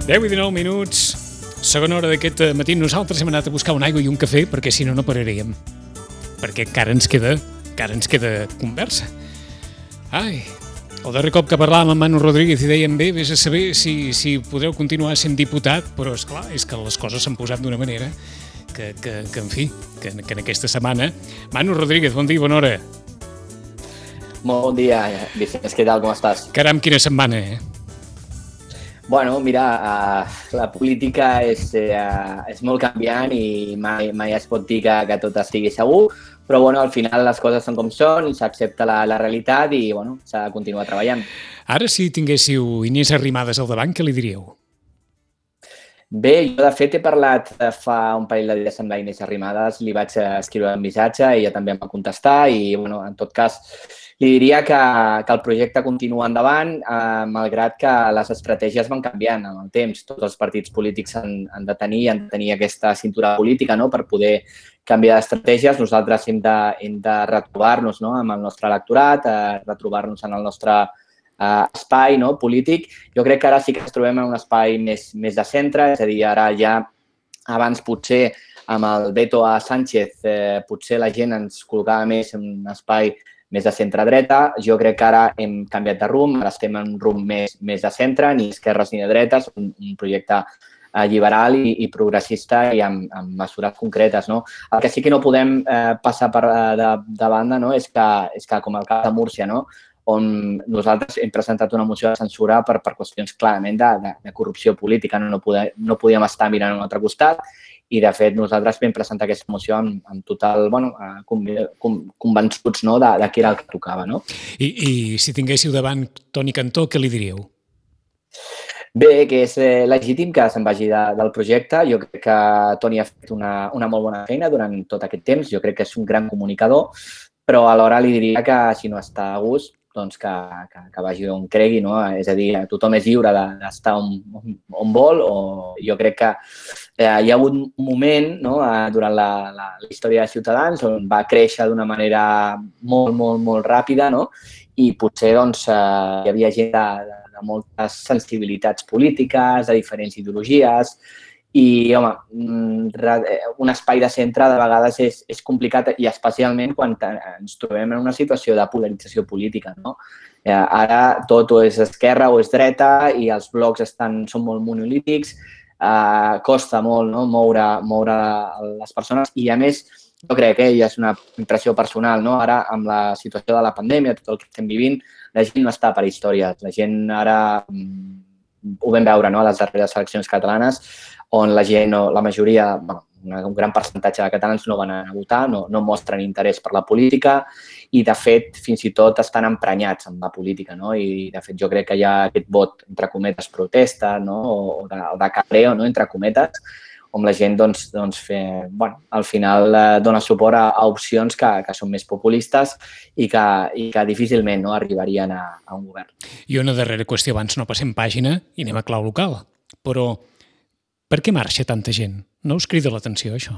10:19. Segona hora d'aquest matí. Nosaltres hem anat a buscar una aigua i un cafè perquè si no, no pararíem. Perquè encara ens queda conversa. Ai, el darrer cop que parlàvem amb Manu Rodríguez i dèiem bé, vés a saber si podreu continuar sent diputat, però esclar, és que les coses s'han posat d'una manera que en fi, que en aquesta setmana... Manu Rodríguez, bon dia, bona hora. Molt bon dia, Vicenç, què tal, com estàs? Caram, quina setmana, Bueno, mira, la política és molt canviant i mai es pot dir que tot estigui segur, però bueno, al final les coses són com són, s'accepta la realitat i bueno, s'ha de continuar treballant. Ara, si tinguéssiu Inés Arrimadas al davant, què li diríeu? Bé, jo de fet he parlat fa un parell de dies amb la Inés Arrimadas, li vaig escriure un missatge i ella també em va contestar i bueno, en tot cas li diria que el projecte continua endavant, malgrat que les estratègies van canviant amb el temps. Tots els partits polítics han de tenir aquesta cintura política, no?, per poder canviar d'estratègies. Nosaltres hem de retrobar-nos, no?, amb el nostre electorat, retrobar-nos en el nostre espai, no?, polític. Jo crec que ara sí que ens trobem en un espai més de centre, és a dir, ara ja abans potser amb el veto a Sánchez potser la gent ens col·locava més en un espai més de centre-dreta. Jo crec que ara hem canviat de rumb, ara estem en un rumb més de centre, ni esquerres ni de dretes, un projecte liberal i progressista i amb mesures concretes, no? El que sí que no podem passar de banda, no?, és que com el cas de Múrcia, no?, on nosaltres hem presentat una moció de censura per qüestions clarament de corrupció política. No podíem estar mirant a un altre costat i, de fet, nosaltres vam presentar aquesta moció amb total, bueno, convençuts, no?, de què era el que tocava, no? I si tinguéssiu davant Toni Cantó, què li diríeu? Bé, que és legítim que se'n vagi del projecte. Jo crec que Toni ha fet una molt bona feina durant tot aquest temps. Jo crec que és un gran comunicador, però alhora li diria que si no està a gust, doncs que vagi on cregui, no? És a dir, tothom és lliure d'estar on vol, o jo crec que hi ha hagut un moment, no?, durant la història de Ciutadans on va créixer d'una manera molt ràpida, no?, i potser doncs, hi havia gent de moltes sensibilitats polítiques, de diferents ideologies, i, home, un espai de centre de vegades és complicat i especialment quan ens trobem en una situació de polarització política, no? Ara tot o és esquerra o és dreta i els blocs són molt monolítics, costa molt, no?, moure les persones i, a més, jo crec que és una impressió personal, no? Ara, amb la situació de la pandèmia, tot el que estem vivint, la gent no està per històries. La gent ara, ho vam veure, no?, a les darreres eleccions catalanes, on la gent, la majoria, un gran percentatge de catalans no van anar a votar, no mostren interès per la política i, de fet, fins i tot estan emprenyats amb la política, no? I, de fet, jo crec que hi ha aquest vot, entre cometes, protesta, no?, o de cabreo, no?, entre cometes, on la gent, doncs, al final dona suport a opcions que són més populistes i que difícilment, no?, arribarien a un govern. I una darrera qüestió, abans no passem pàgina i anem a clau local, però per què marxa tanta gent? No us crida l'atenció, això?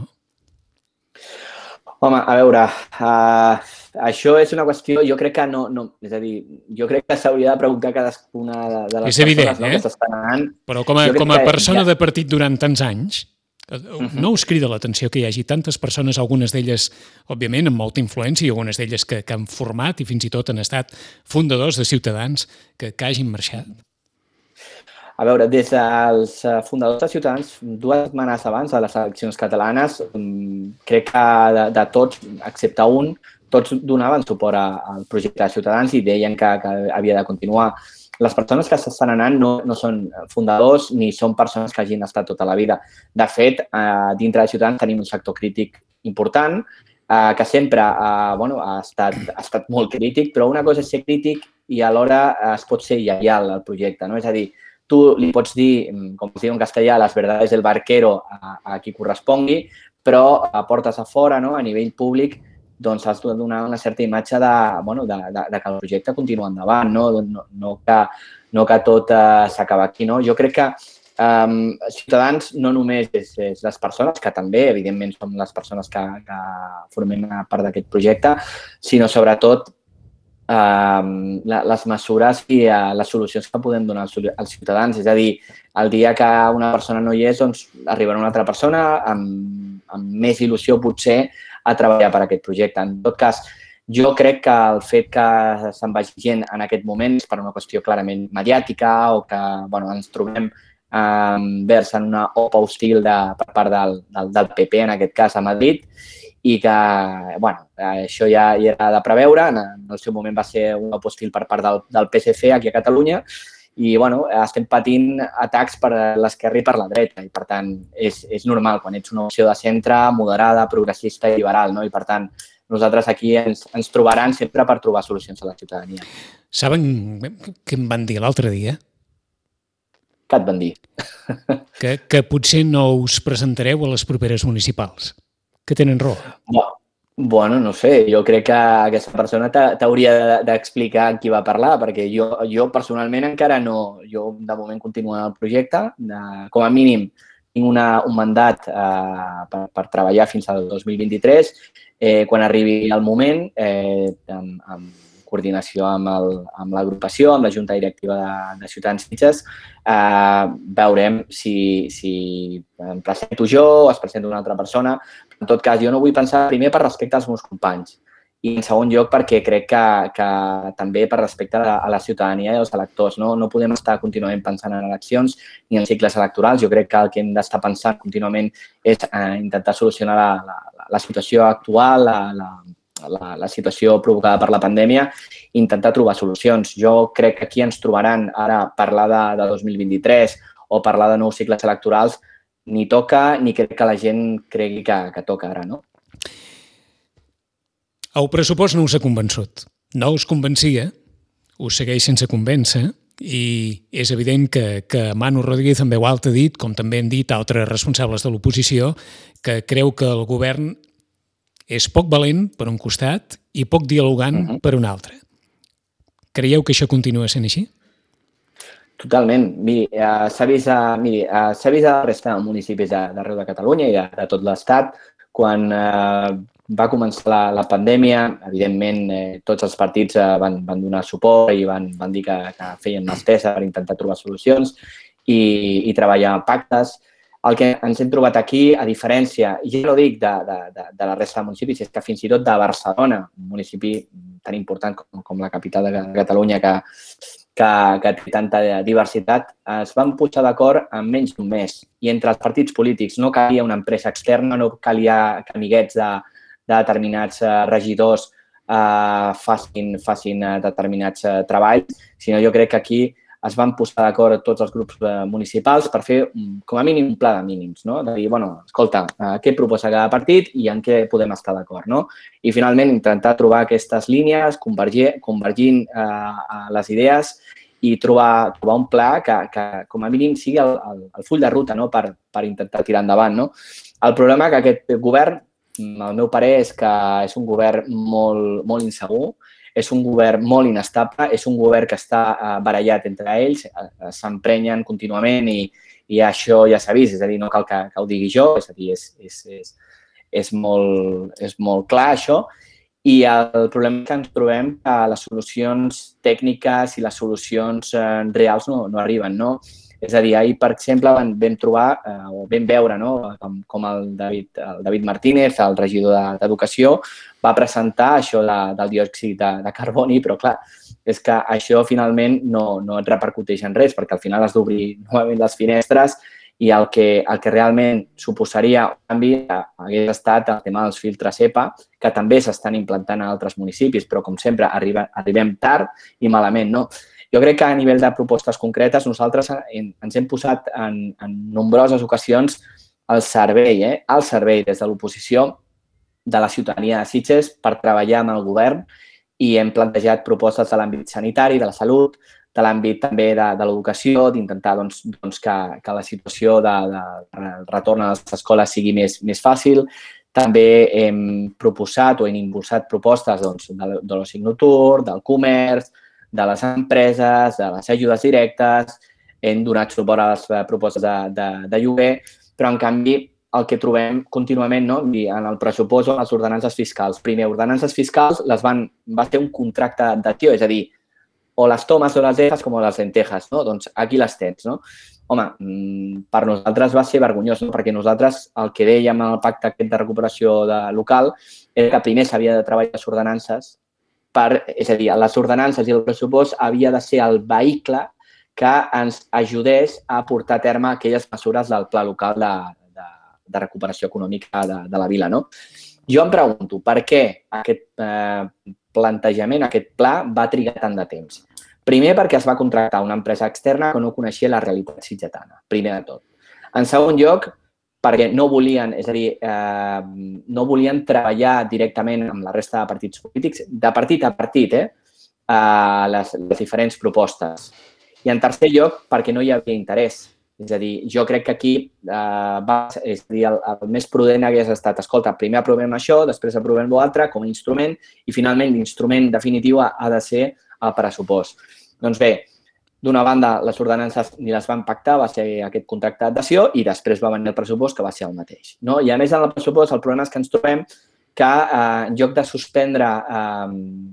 Home, a veure, això és una qüestió, jo crec que no, és a dir, jo crec que s'hauria de preguntar cadascuna de les persones, no?, que s'estan anant. Però com a persona de partit durant tants anys, no us crida l'atenció que hi hagi tantes persones, algunes d'elles, òbviament, amb molta influència, i algunes d'elles que han format i fins i tot han estat fundadors de Ciutadans, que hagin marxat? A veure, des dels fundadors de Ciutadans, 2 setmanes abans de les eleccions catalanes, crec que de tots, excepte un, tots donaven suport al projecte de Ciutadans i deien que havia de continuar. Les persones que s'estan anant no són fundadors ni són persones que hagin estat tota la vida. De fet, dintre de Ciutadans tenim un sector crític important que sempre ha estat molt crític, però una cosa és ser crític i alhora es pot ser lleial al projecte, no? És a dir, tu li pots dir, com es diu en castellà, las verdades del barquero a qui correspongui, però a portes a fora, no?, a nivell públic, doncs has de donar una certa imatge que el projecte continua endavant, no que tot s'acaba aquí, no? Jo crec que Ciutadans no només és les persones, que també, evidentment, som les persones que formem part d'aquest projecte, sinó sobretot les mesures i les solucions que podem donar als ciutadans. És a dir, el dia que una persona no hi és, doncs arribarà una altra persona amb més il·lusió, potser, a treballar per aquest projecte. En tot cas, jo crec que el fet que se'n vagi gent en aquest moment és per una qüestió clarament mediàtica o que ens trobem vers en una OPA hostil per part del PP, en aquest cas a Madrid, i que això ja era de preveure. En el seu moment va ser un OPA hostil per part del PSC aquí a Catalunya i estem patint atacs per l'esquerra i per la dreta i, per tant, és normal quan ets una opció de centre, moderada, progressista i liberal, no? I, per tant, nosaltres aquí ens trobaran sempre per trobar solucions a la ciutadania. Saben què em van dir l'altre dia? Què et van dir? Que potser no us presentareu a les properes municipals. Que tenen raó. Bueno, no sé, jo crec que aquesta persona t'hauria d'explicar qui va parlar, perquè jo personalment encara no, jo de moment continuo en el projecte, com a mínim tinc un mandat per treballar fins al 2023, quan arribi el moment, amb coordinació amb l'agrupació, amb la Junta Directiva de Ciutadans Sitges, veurem si em presento jo o es presenta una altra persona. En tot cas, jo no vull pensar primer per respecte als meus companys i, en segon lloc, perquè crec que també per respecte a la ciutadania i als electors. No podem estar contínuament pensant en eleccions ni en cicles electorals. Jo crec que el que hem d'estar pensant contínuament és intentar solucionar la situació actual, la situació provocada per la pandèmia, i intentar trobar solucions. Jo crec que aquí ens trobaran ara parlar de 2023 o parlar de nous cicles electorals ni toca, ni crec que la gent cregui que toca ara, no? El pressupost no us ha convençut. No us convencia, us segueix sense convèncer, i és evident que Manu Rodríguez en veu alta ha dit, com també han dit altres responsables de l'oposició, que creu que el govern és poc valent per un costat i poc dialogant per un altre. Creieu que això continua sent així? Totalment. Miri, s'ha vist a la resta de municipis d'arreu de Catalunya i de tot l'Estat. Quan va començar la pandèmia, evidentment, tots els partits van donar suport i van dir que feien mà estesa per intentar trobar solucions i treballar pactes. El que ens hem trobat aquí, a diferència, i ja no dic de la resta de municipis, és que fins i tot de Barcelona, un municipi tan important com la capital de Catalunya que té tanta diversitat, es van posar d'acord en menys d'un mes. I entre els partits polítics no calia una empresa externa, no calia que amiguets de determinats regidors facin determinats treballs, sinó jo crec que aquí es van posar d'acord tots els grups municipals per fer, com a mínim, un pla de mínims, no? De dir, escolta, què proposa cada partit i en què podem estar d'acord, no? I, finalment, intentar trobar aquestes línies, convergint les idees i trobar un pla que, com a mínim, sigui el full de ruta, no? Per intentar tirar endavant, no? El problema que aquest govern, al meu parer, és que és un govern molt insegur, és un govern molt inestable, és un govern que està barallat entre ells, s'emprenyen contínuament i això ja s'ha vist, és a dir, no cal que ho digui jo, és a dir, és molt clar això. I el problema és que ens trobem que les solucions tècniques i les solucions reals no arriben, no? És a dir, ahir, per exemple, vam veure com el David Martínez, el regidor d'Educació, va presentar això del diòxid de carboni, però, clar, és que això finalment no et repercuteix en res, perquè al final has d'obrir novament les finestres i el que realment suposaria un canvi hagués estat el tema dels filtres EPA, que també s'estan implantant a altres municipis, però, com sempre, arribem tard i malament, no? Jo crec que a nivell de propostes concretes nosaltres ens hem posat en nombroses ocasions al servei des de l'oposició de la ciutadania de Sitges per treballar amb el govern i hem plantejat propostes de l'àmbit sanitari, de la salut, de l'àmbit també de l'educació, d'intentar que la situació del retorn a les escoles sigui més fàcil. També hem proposat o hem impulsat propostes de l'oci nocturn, del comerç, de les empreses, de les ajudes directes, hem donat suport a les propostes de lloguer, però, en canvi, el que trobem contínuament, no? En el pressupost o en les ordenances fiscals. Primer, ordenances fiscals va ser un contracte d'adhesió, és a dir, o les tomes o les deixes com les lentejas, no? Doncs aquí les tens, no? Home, per nosaltres va ser vergonyós, no? Perquè nosaltres el que dèiem en el pacte aquest de recuperació local era que primer s'havia de treballar les ordenances, és a dir, les ordenances i el pressupost havia de ser el vehicle que ens ajudés a portar a terme aquelles mesures del pla local de recuperació econòmica de la vila, no? Jo em pregunto per què aquest plantejament, aquest pla, va trigar tant de temps. Primer, perquè es va contractar una empresa externa que no coneixia la realitat sitgetana, primer de tot. En segon lloc, perquè no volien, és a dir, no volien treballar directament amb la resta de partits polítics, de partit a partit, les diferents propostes. I en tercer lloc, perquè no hi havia interès. És a dir, jo crec que aquí el més prudent hagués estat, escolta, primer aprovem això, després aprovem l'altre com a instrument i finalment l'instrument definitiu ha de ser el pressupost. Doncs bé, d'una banda, les ordenances ni les van pactar, va ser aquest contracte d'adhesió i després va venir el pressupost que va ser el mateix. No? I a més, en el pressupost, el problema és que ens trobem que en lloc de suspendre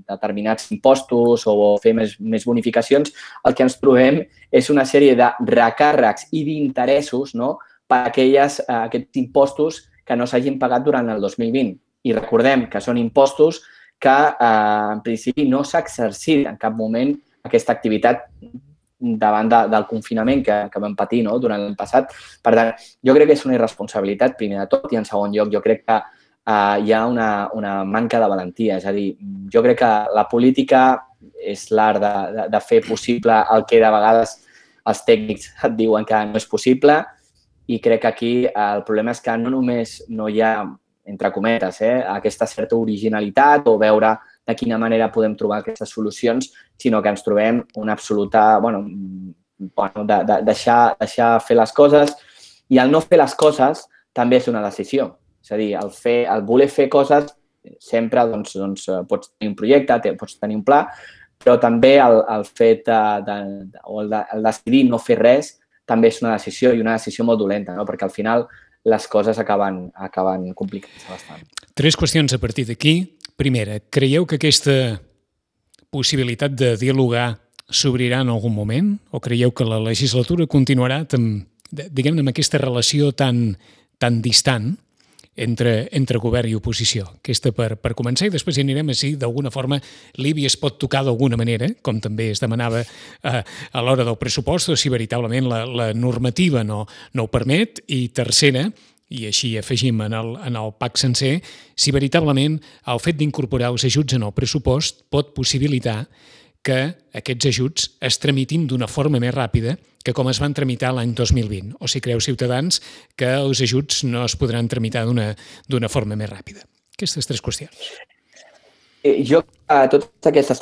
determinats impostos o fer més bonificacions, el que ens trobem és una sèrie de recàrrecs i d'interessos, no?, per aquests impostos que no s'hagin pagat durant el 2020. I recordem que són impostos que, en principi, no s'ha exercit en cap moment aquesta activitat davant del confinament que vam patir durant l'any passat. Per tant, jo crec que és una irresponsabilitat, primer de tot, i en segon lloc, jo crec que hi ha una manca de valentia. És a dir, jo crec que la política és l'art de fer possible el que de vegades els tècnics et diuen que no és possible i crec que aquí el problema és que no només no hi ha, entre cometes, aquesta certa originalitat o veure de quina manera podem trobar aquestes solucions, sinó que ens trobem una absoluta, de deixar fer les coses i el no fer les coses també és una decisió. És a dir, el voler fer coses sempre pots tenir un projecte, pots tenir un pla, però també el fet el decidir no fer res també és una decisió i una decisió molt dolenta, perquè al final les coses acaben complicant-se bastant. 3 qüestions a partir d'aquí. Primera, creieu que aquesta possibilitat de dialogar s'obrirà en algun moment o creieu que la legislatura continuarà diguem-ne amb aquesta relació tan distant entre govern i oposició? Aquesta per començar i després hi anirem a si d'alguna forma l'IBI es pot tocar d'alguna manera, com també es demanava a l'hora del pressupost, o si veritablement la normativa no ho permet. I tercera, i així afegim en el PAC sencer, si veritablement el fet d'incorporar els ajuts en el pressupost pot possibilitar que aquests ajuts es tramitin d'una forma més ràpida que com es van tramitar l'any 2020. O si creu Ciutadans que els ajuts no es podran tramitar d'una forma més ràpida. Aquestes 3 qüestions. Jo, totes aquestes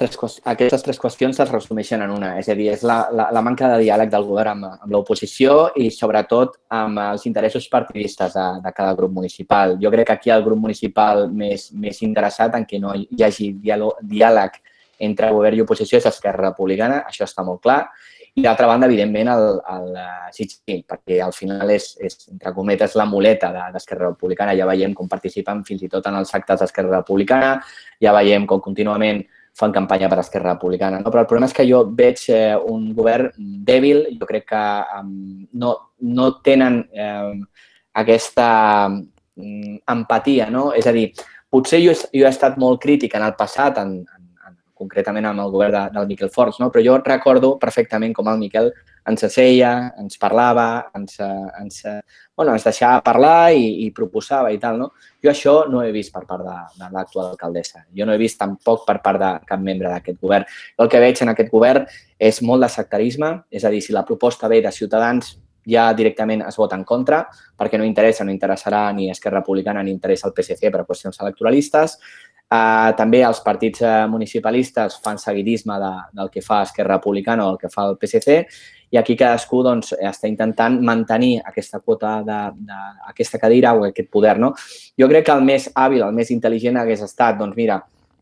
tres qüestions es resumeixen en una. És a dir, és la manca de diàleg del govern amb l'oposició i, sobretot, amb els interessos partidistes de cada grup municipal. Jo crec que aquí el grup municipal més interessat en què no hi hagi diàleg entre govern i oposició és Esquerra Republicana, això està molt clar. I, d'altra banda, evidentment, el CICI, perquè al final és, entre cometes, la muleta d'Esquerra Republicana. Ja veiem com participen fins i tot en els actes d'Esquerra Republicana, ja veiem com contínuament fan campanya per Esquerra Republicana. Però el problema és que jo veig un govern dèbil, jo crec que no tenen aquesta empatia, no? És a dir, potser jo he estat molt crític en el passat, concretament amb el govern del Miquel Forns, però jo recordo perfectament com el Miquel ens asseia, ens parlava, ens deixava parlar i proposava i tal. Jo això no he vist per part de l'actual alcaldessa. Jo no he vist tampoc per part de cap membre d'aquest govern. El que veig en aquest govern és molt de sectarisme, és a dir, si la proposta ve de Ciutadans ja directament es vota en contra, perquè no interessarà ni Esquerra Republicana ni interessa el PSC per a qüestions electoralistes. També els partits municipalistes fan seguidisme del que fa Esquerra Republicana o el que fa el PSC i aquí cadascú està intentant mantenir aquesta quota d'aquesta cadira o aquest poder. Jo crec que el més hàbil, el més intel·ligent hagués estat,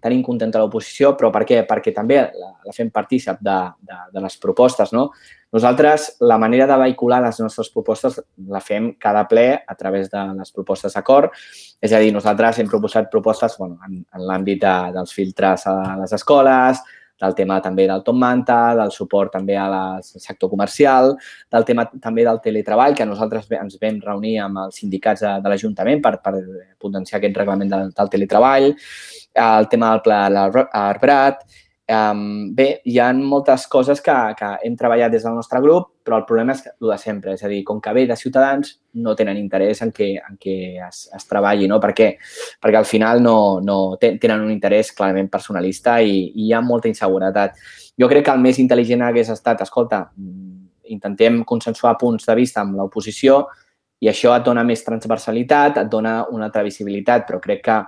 tenim contenta l'oposició, però per què? Perquè també la fem partícip de les propostes, no? Nosaltres, la manera de vehicular les nostres propostes la fem cada ple a través de les propostes d'acord. És a dir, nosaltres hem proposat propostes en l'àmbit dels filtres a les escoles, del tema també del top manta, del suport també al sector comercial, del tema també del teletreball, que nosaltres ens vam reunir amb els sindicats de l'Ajuntament per potenciar aquest reglament del teletreball, el tema del pla Arbrat. Bé, hi ha moltes coses que hem treballat des del nostre grup, però el problema és el de sempre. És a dir, com que ve de Ciutadans, no tenen interès en què es treballi, no? Per què? Perquè al final no tenen un interès clarament personalista i hi ha molta inseguretat. Jo crec que el més intel·ligent hagués estat, escolta, intentem consensuar punts de vista amb l'oposició i això et dona més transversalitat, et dona una altra visibilitat, però crec que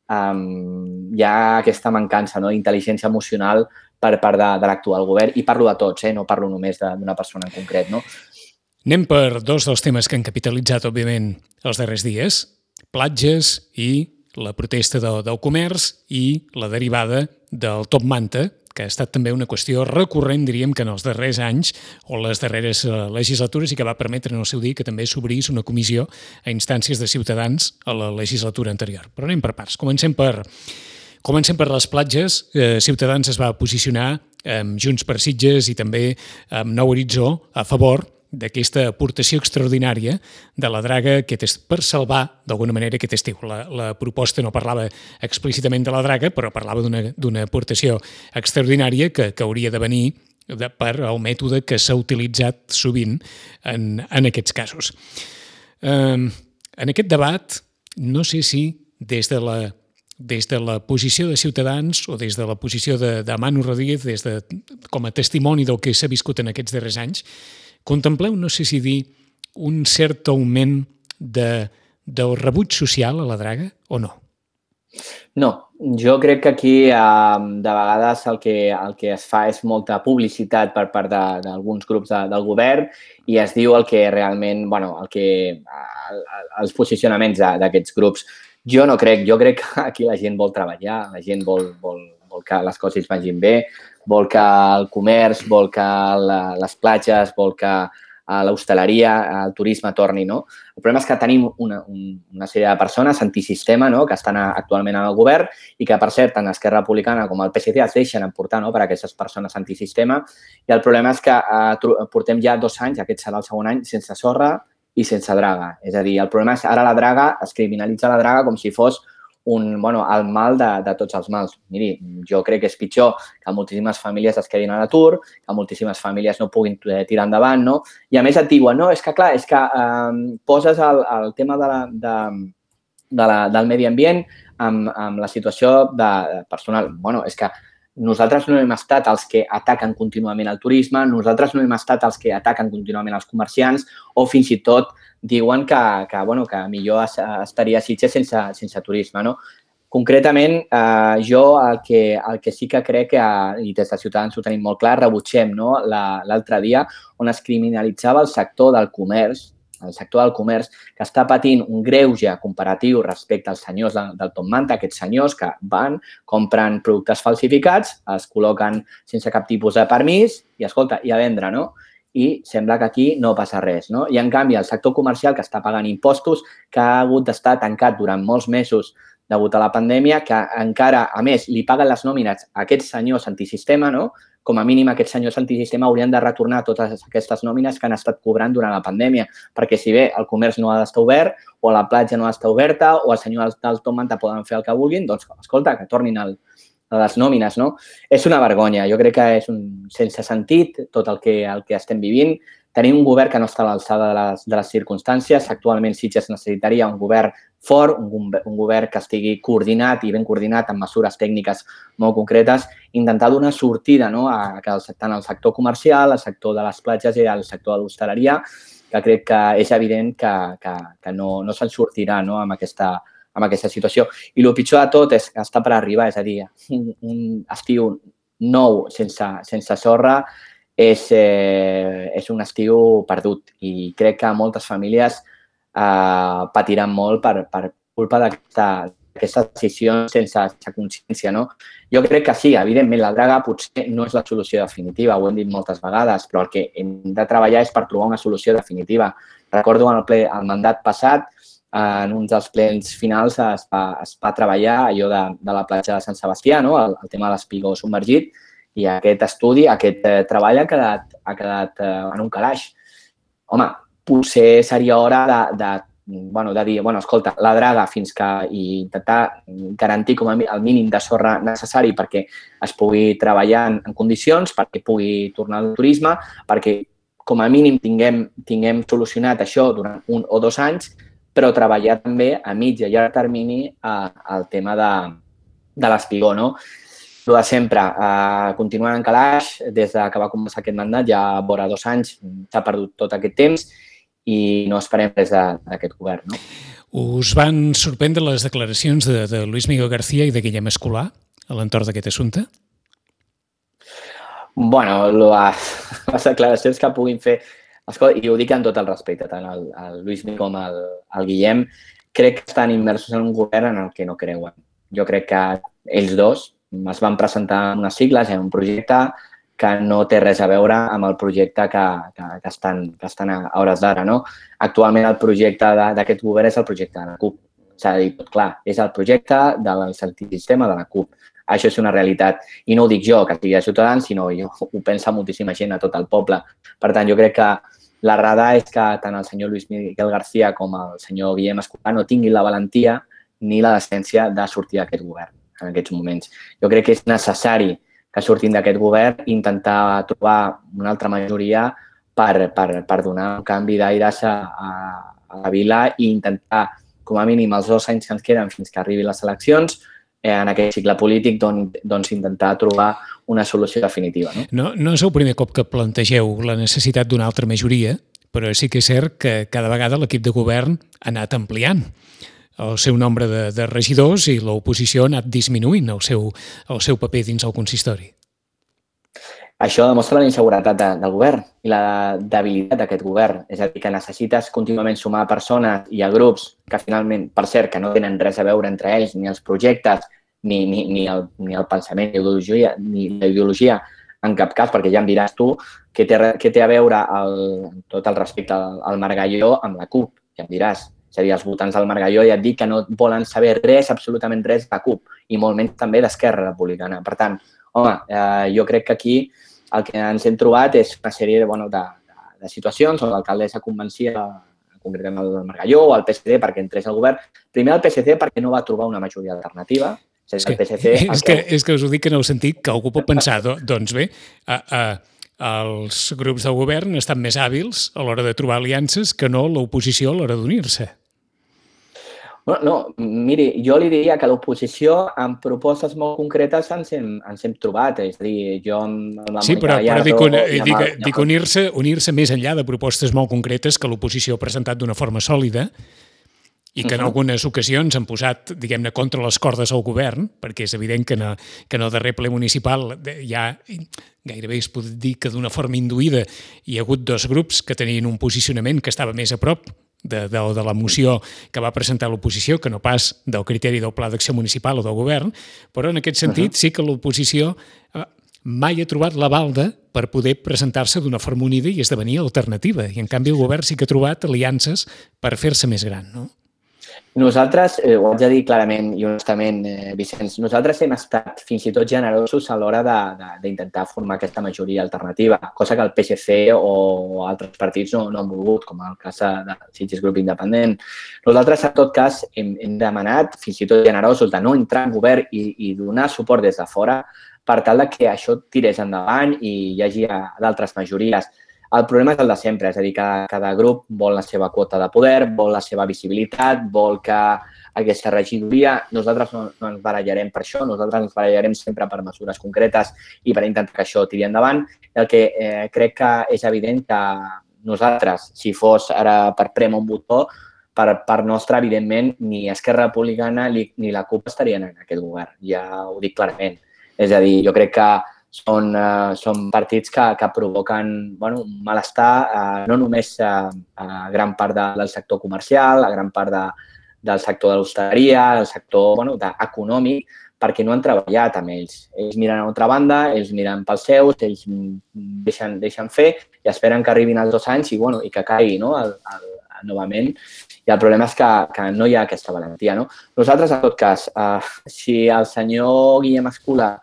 hi ha aquesta mancança d'intel·ligència emocional per part de l'actual govern, i parlo de tots, no parlo només d'una persona en concret. No? Anem per dos dels temes que han capitalitzat, òbviament, els darrers dies, platges i la protesta del comerç i la derivada del top manta, que ha estat també una qüestió recurrent, diríem, que en els darrers anys o les darreres legislatures i que va permetre en el seu dia que també s'obrís una comissió a instàncies de Ciutadans a la legislatura anterior. Però anem per parts. Comencem per les platges. Ciutadans es va posicionar amb Junts per Sitges i també amb Nou Horitzó a favor d'aquesta aportació extraordinària de la Draga per salvar, d'alguna manera, aquest estiu. La proposta no parlava explícitament de la Draga, però parlava d'una aportació extraordinària que hauria de venir per al mètode que s'ha utilitzat sovint en aquests casos. En aquest debat, no sé si des de la posició de Ciutadans o des de la posició de Manu Rodríguez, com a testimoni del que s'ha viscut en aquests darrers anys, contempleu, no sé si dir, un cert augment del rebuig social a la Draga o no? No, jo crec que aquí de vegades el que es fa és molta publicitat per part d'alguns grups del govern i es diu el que realment, els posicionaments d'aquests grups. Jo no crec, jo crec que aquí la gent vol treballar, la gent vol que les coses vagin bé, vol que el comerç, vol que les platges, vol que l'hostaleria, el turisme torni, no? El problema és que tenim una sèrie de persones antisistema, no?, que estan actualment en el govern i que, per cert, tant Esquerra Republicana com el PSC es deixen emportar, no?, per aquestes persones antisistema. I el problema és que portem ja 2 anys, aquest serà el segon any, sense sorra i sense draga. És a dir, el problema és ara la draga, es criminalitza la draga com si fos el mal de tots els mals. Miri, jo crec que és pitjor que moltíssimes famílies es quedin a l'atur, que moltíssimes famílies no puguin tirar endavant, no? I a més et diuen, no, és que clar, és que poses el tema del medi ambient amb la situació personal. Bueno, és que nosaltres no hem estat els que ataquen contínuament el turisme, nosaltres no hem estat els que ataquen contínuament els comerciants o fins i tot diuen que millor estaria a Sitges sense turisme, no? Concretament, jo el que sí que crec, i des de Ciutadans ho tenim molt clar, rebutgem l'altre dia on es criminalitzava el sector del comerç, que està patint un greuge comparatiu respecte als senyors del top manta, aquests senyors que van, compren productes falsificats, els col·loquen sense cap tipus de permís i, escolta, i a vendre, no? I sembla que aquí no passa res, no? I, en canvi, el sector comercial, que està pagant impostos, que ha hagut d'estar tancat durant molts mesos degut a la pandèmia, que encara, a més, li paguen les nòmines a aquests senyors antisistema, no? Com a mínim, aquests senyors antisistema haurien de retornar totes aquestes nòmines que han estat cobrant durant la pandèmia, perquè si bé el comerç no ha d'estar obert, o la platja no ha d'estar oberta, o els senyors del top manta poden fer el que vulguin, doncs, escolta, que tornin a les nòmines, no? És una vergonya. Jo crec que és un sense sentit tot el que estem vivint. Tenim un govern que no està a l'alçada de les circumstàncies. Actualment Sitges necessitaria un govern fort, un govern que estigui coordinat i ben coordinat amb mesures tècniques molt concretes, intentar donar sortida tant al sector comercial, al sector de les platges i al sector de l'hostaleria, que crec que és evident que no se'n sortirà amb aquesta situació. I el pitjor de tot és que està per arribar, és a dir, un estiu nou sense sorra és un estiu perdut i crec que moltes famílies patiran molt per culpa aquestes decisions sense consciència, no? Jo crec que sí, evidentment, la draga potser no és la solució definitiva, ho hem dit moltes vegades, però el que hem de treballar és per trobar una solució definitiva. Recordo el mandat passat, en un dels plens finals es va treballar allò de la platja de Sant Sebastià, no? El tema de l'espigó submergit, i aquest estudi, aquest treball ha quedat en un calaix. Home, potser seria hora de dir, escolta, la draga fins que intentar garantir com el mínim de sorra necessari perquè es pugui treballar en condicions, perquè pugui tornar al turisme, perquè com a mínim tinguem solucionat això durant 1 o 2 anys, però treballar també a mitjà i llarg termini el tema de l'espigó, no? El de sempre, continuant en calaix, des que va començar aquest mandat, ja vora 2 anys, s'ha perdut tot aquest temps i no esperem res d'aquest govern, no? Us van sorprendre les declaracions de Luis Miguel García i de Guillem Escolà a l'entorn d'aquest assumpte? Bueno, les declaracions que puguin fer, escolta, i ho dic amb tot el respecte, tant el Luis Miguel com el Guillem, crec que estan immersos en un govern en el que no creuen. Jo crec que ells dos es van presentar unes sigles en un projecte que no té res a veure amb el projecte que estan a hores d'ara, no? Actualment el projecte d'aquest govern és el projecte de la CUP. S'ha de dir tot clar, és el projecte de l'antisistema de la CUP. Això és una realitat. I no ho dic jo, que sigui de Ciutadans, sinó ho pensa moltíssima gent a tot el poble. Per tant, jo crec que l'errada és que tant el senyor Luis Miguel García com el senyor Guillem Escolà no tinguin la valentia ni la decència de sortir d'aquest govern en aquests moments. Jo crec que és necessari que surtin d'aquest govern i intentar trobar una altra majoria per donar un canvi d'aires a la vila i intentar, com a mínim, els 2 anys que ens queden fins que arribin les eleccions, en aquest cicle polític, doncs intentar trobar una solució definitiva. No és el primer cop que plantegeu la necessitat d'una altra majoria, però sí que és cert que cada vegada l'equip de govern ha anat ampliant el seu nombre de regidors i l'oposició ha anat disminuint el seu paper dins el consistori. Això demostra la inseguretat del govern i la debilitat d'aquest govern. És a dir, que necessites contínuament sumar persones i a grups que finalment, per cert, que no tenen res a veure entre ells, ni els projectes, ni el pensament, ni la ideologia en cap cas, perquè ja em diràs tu què té a veure tot el respecte al Margalló amb la CUP, ja em diràs. És a dir, els votants del Margalló ja et dic que no volen saber res, absolutament res, de la CUP, i molt menys també d'Esquerra Republicana. Per tant, home, jo crec que aquí el que ens hem trobat és una sèrie de situacions on l'alcaldessa convencia, concretament el Margalló o el PSC perquè entrés al govern. Primer el PSC perquè no va trobar una majoria alternativa. És que us ho dic en el sentit que algú pot pensar, doncs bé, els grups del govern estan més hàbils a l'hora de trobar aliances que no l'oposició a l'hora d'unir-se. No, miri, jo li diria que l'oposició amb propostes molt concretes ens hem trobat. És a dir, jo amb la Sí, però dic unir-se més enllà de propostes molt concretes que l'oposició ha presentat d'una forma sòlida i que en algunes ocasions han posat, diguem-ne, contra les cordes al govern, perquè és evident que en el darrer ple municipal ja gairebé es pot dir que d'una forma induïda hi ha hagut 2 grups que tenien un posicionament que estava més a prop de la moció que va presentar l'oposició, que no pas del criteri del Pla d'Acció Municipal o del govern, però en aquest sentit sí que l'oposició mai ha trobat la balda per poder presentar-se d'una forma unida i esdevenir alternativa. I en canvi el govern sí que ha trobat aliances per fer-se més gran, no? Nosaltres, ho haig de dir clarament i honestament, Vicenç, nosaltres hem estat fins i tot generosos a l'hora d'intentar formar aquesta majoria alternativa, cosa que el PSC o altres partits no han volgut, com el cas del Sitges Grup Independent. Nosaltres, en tot cas, hem demanat, fins i tot generosos, de no entrar en govern i donar suport des de fora per tal que això tirés endavant i hi hagi d'altres majories. El problema és el de sempre, és a dir, que cada grup vol la seva quota de poder, vol la seva visibilitat, vol que aquesta regidoria... Nosaltres no ens barallarem per això, nosaltres ens barallarem sempre per mesures concretes i per intentar que això tiri endavant. El que crec que és evident que nosaltres, si fos ara per prémer un botó, per part nostra, evidentment, ni Esquerra Republicana ni la CUP estarien en aquest govern, ja ho dic clarament. És a dir, jo crec que són partits que provoquen un malestar no només a gran part del sector comercial, a gran part del sector de l'hostaleria, del sector econòmic, perquè no han treballat amb ells. Ells miren a una altra banda, ells miren pels seus, ells deixen fer i esperen que arribin els 2 anys i que caigui novament. I el problema és que no hi ha aquesta valentia. No? Nosaltres, en tot cas, si el senyor Guillem Escolà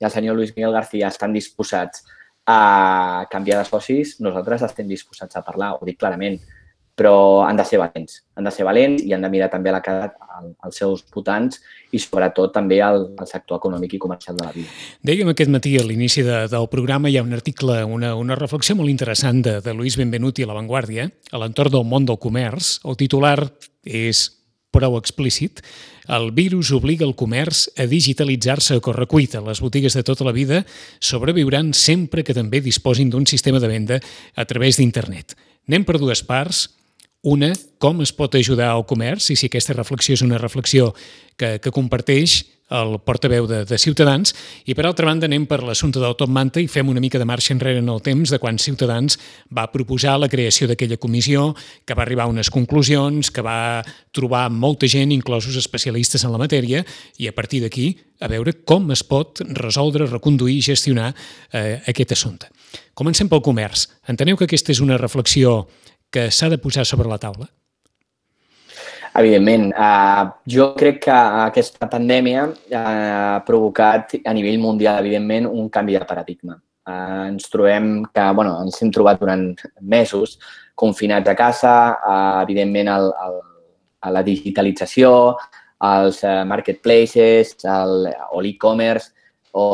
i el senyor Luis Miguel García estan disposats a canviar de socis, nosaltres estem disposats a parlar, ho dic clarament, però han de ser valents i han de mirar també a la cara als seus votants i sobretot també al sector econòmic i comercial de la vida. Dèiem aquest matí a l'inici del programa hi ha un article, una reflexió molt interessant de Luis Benvenuti a La Vanguardia a l'entorn del món del comerç. El titular és prou explícit. El virus obliga el comerç a digitalitzar-se a correcuita. Les botigues de tota la vida sobreviuran sempre que també disposin d'un sistema de venda a través d'internet. Anem per 2 parts. Una, com es pot ajudar al comerç, i si aquesta reflexió és una reflexió que comparteix el portaveu de Ciutadans, i per altra banda anem per l'assumpte del Top Manta i fem una mica de marxa enrere en el temps de quan Ciutadans va proposar la creació d'aquella comissió, que va arribar a unes conclusions, que va trobar molta gent, inclosos especialistes en la matèria, i a partir d'aquí a veure com es pot resoldre, reconduir i gestionar aquest assumpte. Comencem pel comerç. Enteneu que aquesta és una reflexió que s'ha de posar sobre la taula? Evidentment. Jo crec que aquesta pandèmia ha provocat a nivell mundial, evidentment, un canvi de paradigma. Ens trobem que, ens hem trobat durant mesos confinats a casa, evidentment, a la digitalització, als marketplaces, o l'e-commerce, o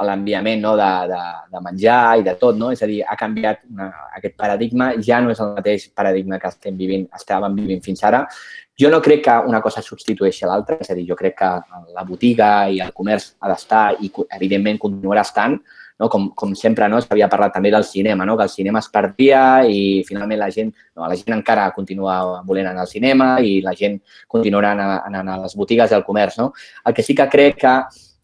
l'enviament de menjar i de tot, no? És a dir, ha canviat aquest paradigma, ja no és el mateix paradigma que estàvem vivint fins ara. Jo no crec que una cosa substitueixi a l'altra, és a dir, jo crec que la botiga i el comerç ha d'estar i, evidentment, continuarà estant, no? Com sempre, no? S'havia parlat també del cinema, no? Que el cinema es perdia i, finalment, la gent encara continua volent anar al cinema i la gent continuarà anant a les botigues i al comerç, no? El que sí que crec que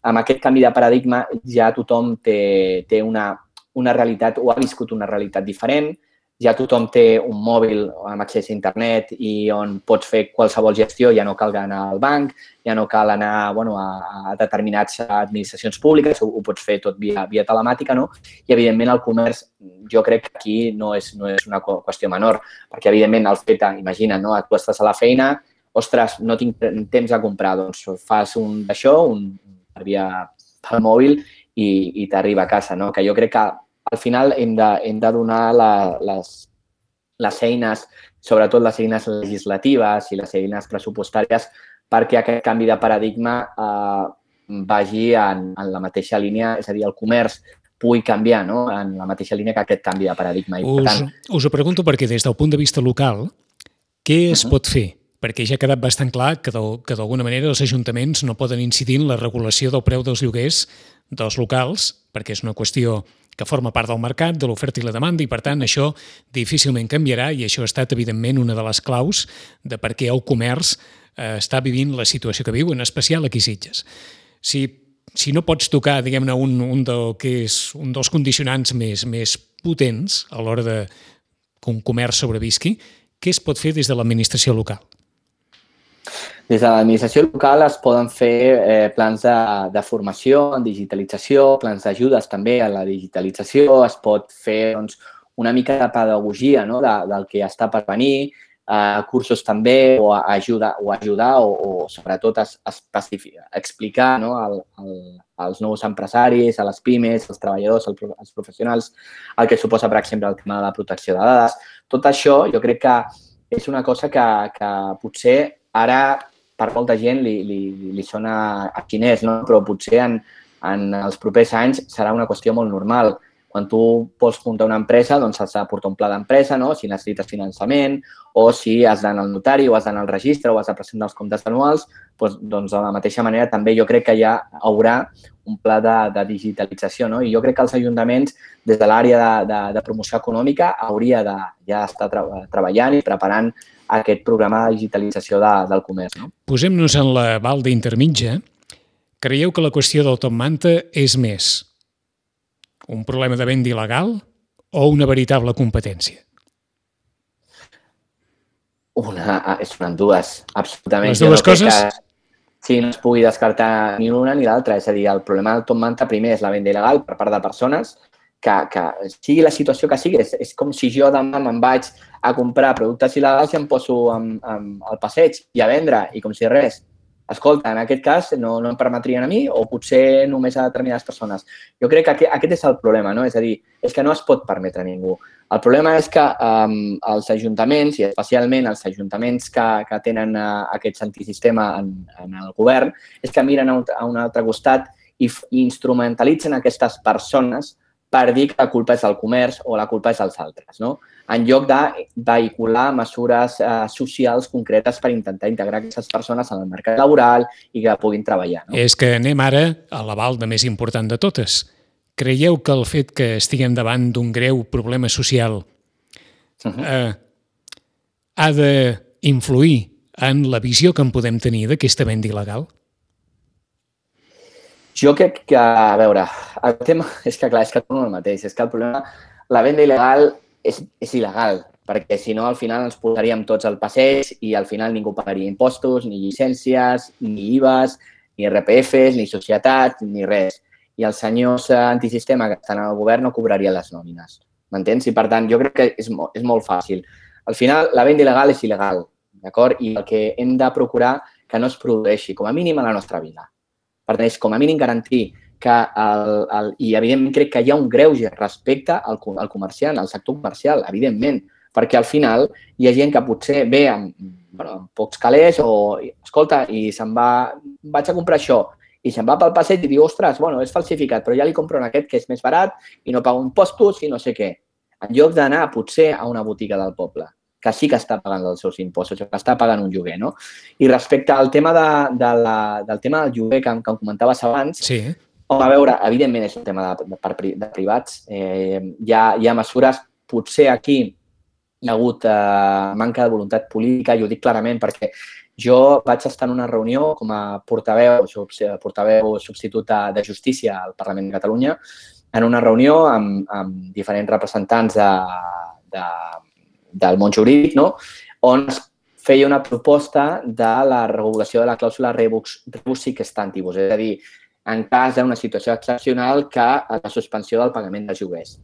amb aquest canvi de paradigma ja tothom té una realitat o ha viscut una realitat diferent, ja tothom té un mòbil amb accés a internet i on pots fer qualsevol gestió, ja no cal anar al banc, ja no cal anar a determinades administracions públiques, ho pots fer tot via telemàtica, no? I, evidentment, el comerç, jo crec que aquí no és una qüestió menor, perquè, evidentment, el fet, imagina't, no? Tu estàs a la feina, ostres, no tinc temps a comprar, doncs fas d'això, pel mòbil i t'arriba a casa, no? Que jo crec que al final hem de donar les eines, sobretot les eines legislatives i les eines pressupostàries, perquè aquest canvi de paradigma vagi en la mateixa línia, és a dir, el comerç pugui canviar, no? En la mateixa línia que aquest canvi de paradigma. Us ho pregunto perquè des del punt de vista local, què es pot fer? Perquè ja ha quedat bastant clar que d'alguna manera els ajuntaments no poden incidir en la regulació del preu dels lloguers dels locals, perquè és una qüestió que forma part del mercat, de l'oferta i la demanda, i per tant això difícilment canviarà i això ha estat evidentment una de les claus de per què el comerç està vivint la situació que viu, en especial aquí a Sitges. Si no pots tocar, diguem-ne, un dels condicionants més potents a l'hora de que un comerç sobrevisqui, què es pot fer des de l'administració local? Des de l'administració local es poden fer plans de formació en digitalització, plans d'ajudes també a la digitalització, es pot fer una mica de pedagogia del que està per venir, cursos també, o ajudar o sobretot explicar als nous empresaris, a les pimes, als treballadors, als professionals, el que suposa, per exemple, el tema de la protecció de dades. Tot això jo crec que és una cosa que potser ara per molta gent li sona a xinès, no? Però potser en els propers anys serà una qüestió molt normal. Quan tu vols muntar una empresa, doncs has de portar un pla d'empresa, no? Si necessites finançament, o si has d'anar al notari, o has d'anar al registre, o has de presentar els comptes anuals, doncs de la mateixa manera també jo crec que ja haurà un pla de digitalització, no? I jo crec que els ajuntaments, des de l'àrea de promoció econòmica, hauria de ja estar treballant i preparant aquest programa de digitalització del comerç, no? Posem-nos en la balda intermitja. Creieu que la qüestió del Top Manta és més un problema de venda il·legal o una veritable competència? Són dues, absolutament. Les dues coses? Sí, no es pugui descartar ni l'una ni l'altra. És a dir, el problema del top manta primer és la venda il·legal per part de persones que sigui la situació que sigui. És com si jo demà me'n vaig a comprar productes il·legals i em poso al passeig i a vendre, i com si res. Escolta, en aquest cas no em permetrien a mi o potser només a determinades persones. Jo crec que aquest és el problema, no? És a dir, és que no es pot permetre a ningú. El problema és que els ajuntaments, i especialment els ajuntaments que tenen aquest antisistema en el govern, és que miren a un altre costat i instrumentalitzen aquestes persones per dir que la culpa és del comerç o la culpa és dels altres, no? En lloc de vehicular mesures socials concretes per intentar integrar aquestes persones en el mercat laboral i que puguin treballar. No? És que anem ara a l'aval de més important de totes. Creieu que el fet que estiguem davant d'un greu problema social ha d'influir en la visió que en podem tenir d'aquesta venda il·legal? Jo crec que, a veure, el tema és que, clar, és que torno al mateix. És que el problema, la venda il·legal és il·legal, perquè si no, al final ens posaríem tots al passeig i al final ningú pagaria impostos, ni llicències, ni IVAs, ni RPFs, ni societats, ni res. I els senyors antisistema que estan al govern no cobrarien les nòmines. M'entens? I, per tant, jo crec que és molt fàcil. Al final, la venda il·legal és il·legal, d'acord? I el que hem de procurar que no es produeixi, com a mínim a la nostra vida. Per tant, és com a mínim garantir que, i evidentment crec que hi ha un greuge respecte al comerciant, al sector comercial, evidentment, perquè al final hi ha gent que potser ve amb pocs calés o, escolta, i vaig a comprar això, i se'n va pel passeig i diu, ostres, és falsificat, però ja li compro en aquest que és més barat i no pago impostos i no sé què. En lloc d'anar potser a una botiga del poble, que sí que està pagant els seus impostos, que està pagant un lloguer, no? I respecte al tema del tema del lloguer que em comentaves abans, sí. A veure, evidentment és un tema de privats. Hi ha mesures, potser aquí hi ha hagut manca de voluntat política, i ho dic clarament perquè jo vaig estar en una reunió com a portaveu substitut de Justícia al Parlament de Catalunya, en una reunió amb diferents representants del món jurídic, no? On es feia una proposta de la regulació de la clàusula rebus sic stantibus, és a dir, en cas d'una situació excepcional que la suspensió del pagament dels lloguers.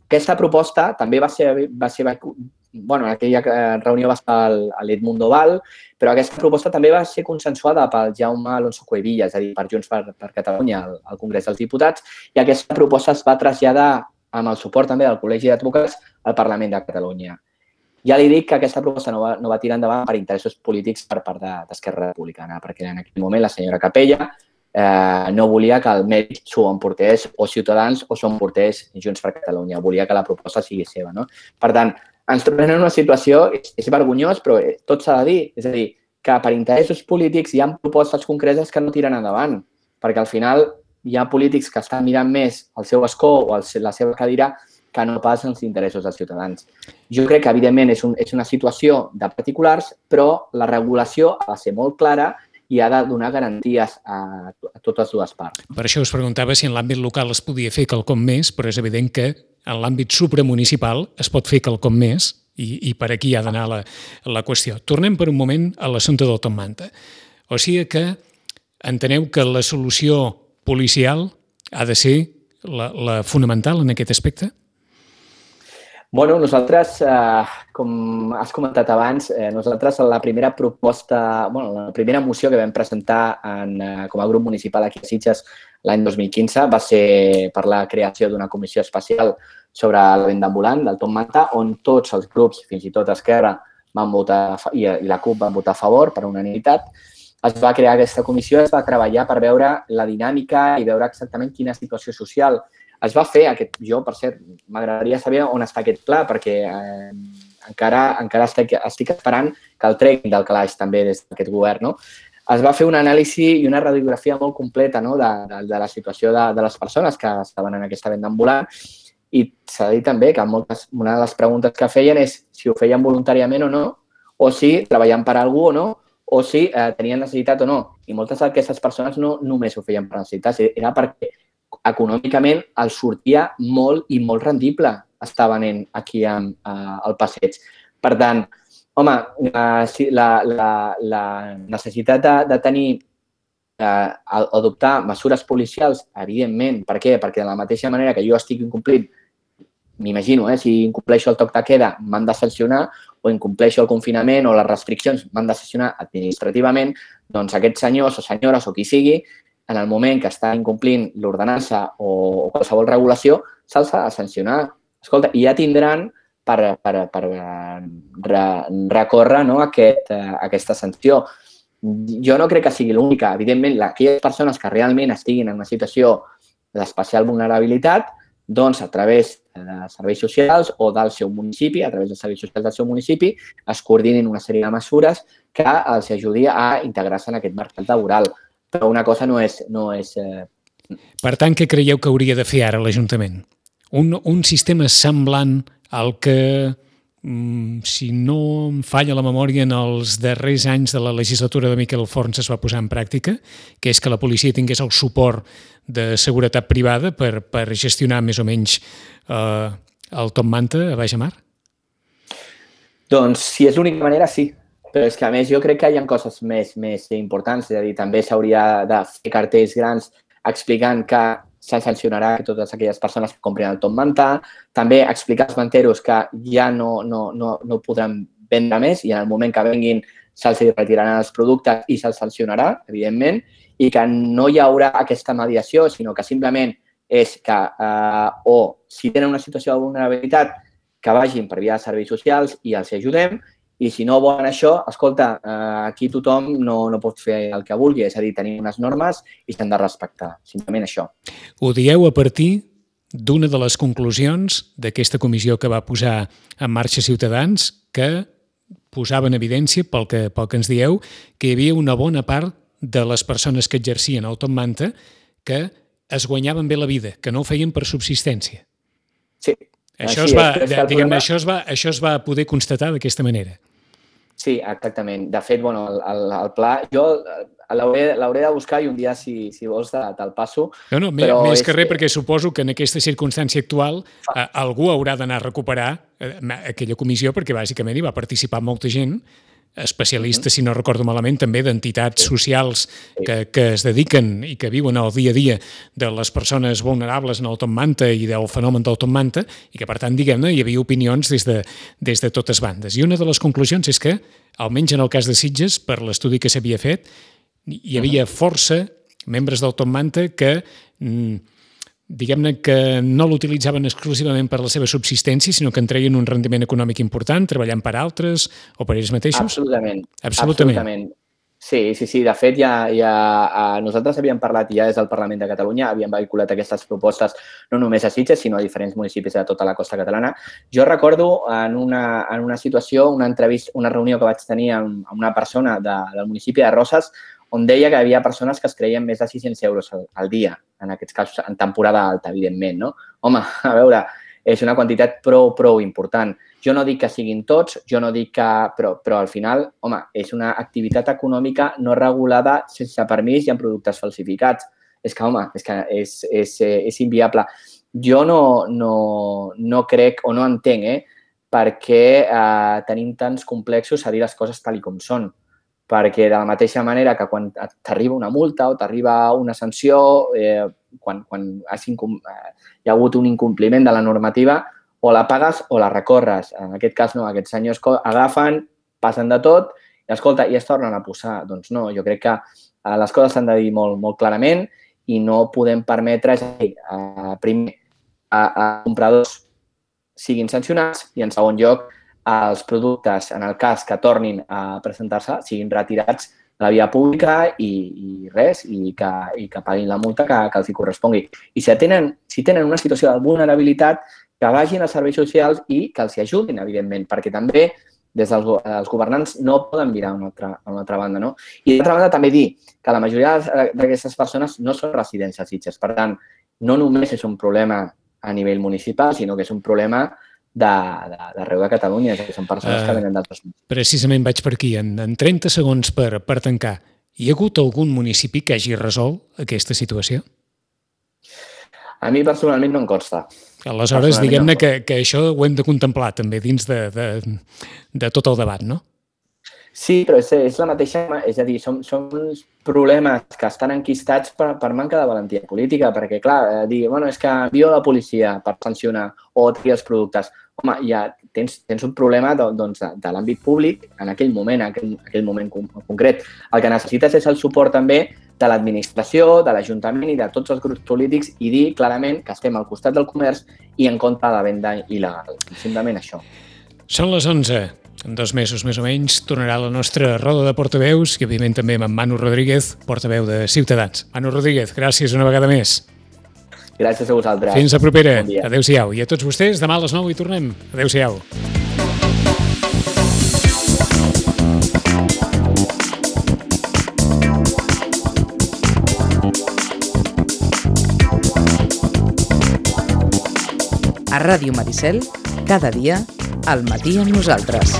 Aquesta proposta també va ser en aquella reunió va estar l'Edmundo Val, però aquesta proposta també va ser consensuada pel Jaume Alonso Cuevilla, és a dir, per Junts per Catalunya al Congrés dels Diputats, i aquesta proposta es va traslladar amb el suport també del Col·legi d'Advocats al Parlament de Catalunya. Ja li dic que aquesta proposta no va tirar endavant per interessos polítics per part d'Esquerra Republicana, perquè en aquell moment la senyora Capella no volia que el mèrit s'ho emportés o Ciutadans o s'ho emportés Junts per Catalunya, volia que la proposta sigui seva. No? Per tant, ens trobem en una situació, és vergonyós, però tot s'ha de dir, és a dir, que per interessos polítics hi ha propostes concretes que no tiren endavant, perquè al final hi ha polítics que estan mirant més el seu escó o la seva cadira que no pas els interessos dels ciutadans. Jo crec que, evidentment, és una situació de particulars, però la regulació ha de ser molt clara i ha de donar garanties a totes dues parts. Per això us preguntava si en l'àmbit local es podia fer quelcom més, però és evident que en l'àmbit supramunicipal es pot fer quelcom més i per aquí ha d'anar la qüestió. Tornem per un moment a l'assumpte del Top Manta. O sigui que enteneu que la solució policial ha de ser la fonamental en aquest aspecte? Bueno, nosaltres, com has comentat abans, nosaltres la primera proposta, la primera moció que vam presentar com a grup municipal aquí a Sitges l'any 2015 va ser per la creació d'una comissió especial sobre la venda ambulant del Top Manta, on tots els grups, fins i tot Esquerra, van votar i la CUP van votar a favor per unanimitat. Es va crear aquesta comissió, es va treballar per veure la dinàmica i veure exactament quina situació social es va fer. Jo, per cert, m'agradaria saber on està aquest pla, perquè encara estic esperant que el treguin del calaix també des d'aquest govern. No? Es va fer una anàlisi i una radiografia molt completa de la situació de les persones que estaven en aquesta venda ambulant, i s'ha de dir també que una de les preguntes que feien és si ho feien voluntàriament o no, o si treballaven per algú o no, o si tenien necessitat o no. I moltes d'aquestes persones no només ho feien per necessitats, era perquè econòmicament els sortia molt i molt rendible estar venent aquí al passeig. Per tant, Home, la necessitat de tenir adoptar mesures policials, evidentment. Per què? Perquè de la mateixa manera que jo estic incomplint, m'imagino, si incompleixo el toc de queda m'han de sancionar, o incompleixo el confinament o les restriccions m'han de sancionar administrativament, doncs aquests senyors o senyores o qui sigui, en el moment que estan incomplint l'ordenança o qualsevol regulació, se'ls ha de sancionar. Escolta, i ja tindran per recórrer aquesta sanció. Jo no crec que sigui l'única. Evidentment, aquelles persones que realment estiguin en una situació d'especial vulnerabilitat, doncs a través de serveis socials o del seu municipi, a través dels serveis socials del seu municipi, es coordinin una sèrie de mesures que els ajudi a integrar-se en aquest mercat laboral. Però una cosa no és... Per tant, què creieu que hauria de fer ara l'Ajuntament? Un sistema semblant al que, si no em falla la memòria, en els darrers anys de la legislatura de Miquel Forns es va posar en pràctica, que és que la policia tingués el suport de seguretat privada per gestionar més o menys el top manta a baix mar? Doncs, si és l'única manera, sí. Però és que, a més, jo crec que hi ha coses més importants. És a dir, també s'hauria de fer cartells grans explicant que se sancionarà totes aquelles persones que comprin el top manta, també explicar als manteros que ja no podran vendre més i en el moment que venguin se'ls retiraran els productes i se'ls sancionarà, evidentment, i que no hi haurà aquesta mediació, sinó que simplement és que o si tenen una situació de vulnerabilitat que vagin per via de serveis socials i els ajudem, i si no volen això, escolta, aquí tothom no pot fer el que vulgui, és a dir, tenim unes normes i s'han de respectar, simplement això. Ho dieu a partir d'una de les conclusions d'aquesta comissió que va posar en marxa Ciutadans, que posava en evidència, pel que ens dieu, que hi havia una bona part de les persones que exercien el top manta que es guanyaven bé la vida, que no ho feien per subsistència. Sí. Això es va poder constatar d'aquesta manera. Sí, exactament. De fet, el pla, jo l'hauré de buscar i un dia, si vols, te'l passo. No, més que res, perquè suposo que en aquesta circumstància actual algú haurà d'anar a recuperar aquella comissió, perquè bàsicament hi va participar molta gent, especialistes, si no recordo malament, també d'entitats socials que es dediquen i que viuen el dia a dia de les persones vulnerables en el top manta i del fenomen del top manta i que, per tant, diguem-ne, hi havia opinions des de totes bandes. I una de les conclusions és que, almenys en el cas de Sitges, per l'estudi que s'havia fet, hi havia força membres del top manta que diguem-ne que no l'utilitzaven exclusivament per la seva subsistència, sinó que en treien un rendiment econòmic important, treballant per altres o per ells mateixos? Absolutament. Sí. De fet, nosaltres havíem parlat ja des del Parlament de Catalunya, havíem vehiculat aquestes propostes no només a Sitges, sinó a diferents municipis de tota la costa catalana. Jo recordo en una situació, una reunió que vaig tenir amb una persona del municipi de Roses, on deia que hi havia persones que es creien més de 600 euros al dia, en aquests casos, en temporada alta, evidentment, no? Home, a veure, és una quantitat prou important. Jo no dic que siguin tots, però al final, home, és una activitat econòmica no regulada sense permís i amb productes falsificats. És que és inviable. Jo no crec o no entenc per què tenim tants complexos a dir les coses tal com són. Perquè de la mateixa manera que quan t'arriba una multa o t'arriba una sanció, quan hi ha hagut un incompliment de la normativa, o la pagues o la recorres. En aquest cas, no, aquests senyors agafen, passen de tot i, escolta, i es tornen a posar. Doncs no, jo crec que les coses s'han de dir molt clarament i no podem permetre, primer, a compradors siguin sancionats i, en segon lloc, els productes, en el cas que tornin a presentar-se, siguin retirats de la via pública i que paguin la multa que els hi correspongui. I si tenen una situació de vulnerabilitat, que vagin als serveis socials i que els hi ajudin, evidentment, perquè també des dels governants no poden mirar a una altra banda, no? I d'altra banda també dir que la majoria d'aquestes persones no són residents a Sitges. Per tant, no només és un problema a nivell municipal, sinó que és un problema d'arreu de Catalunya, que són persones que venen d'altres municipis. Precisament vaig per aquí, en 30 segons per tancar. Hi ha hagut algun municipi que hagi resolt aquesta situació? A mi personalment no em consta. Aleshores, diguem-ne que això ho hem de contemplar també dins de tot el debat, no? Sí, però és la mateixa... És a dir, són uns problemes que estan enquistats per manca de valentia política, perquè, clar, dir, bueno, és que envio la policia per sancionar o triar els productes. Home, ja tens un problema doncs, de l'àmbit públic en aquell moment concret. El que necessites és el suport també de l'administració, de l'Ajuntament i de tots els grups polítics i dir clarament que estem al costat del comerç i en contra de la venda il·legal. Simplement això. Són les 11. En 2 mesos, més o menys, tornarà la nostra roda de portaveus i, òbviament, també amb en Manu Rodríguez, portaveu de Ciutadans. Manu Rodríguez, gràcies una vegada més. Gràcies a vosaltres. Fins la propera. Bon dia. Adéu-siau. I a tots vostès, demà a les 9 hi tornem. Adéu-siau. A Ràdio Maricel, cada dia, al matí amb nosaltres.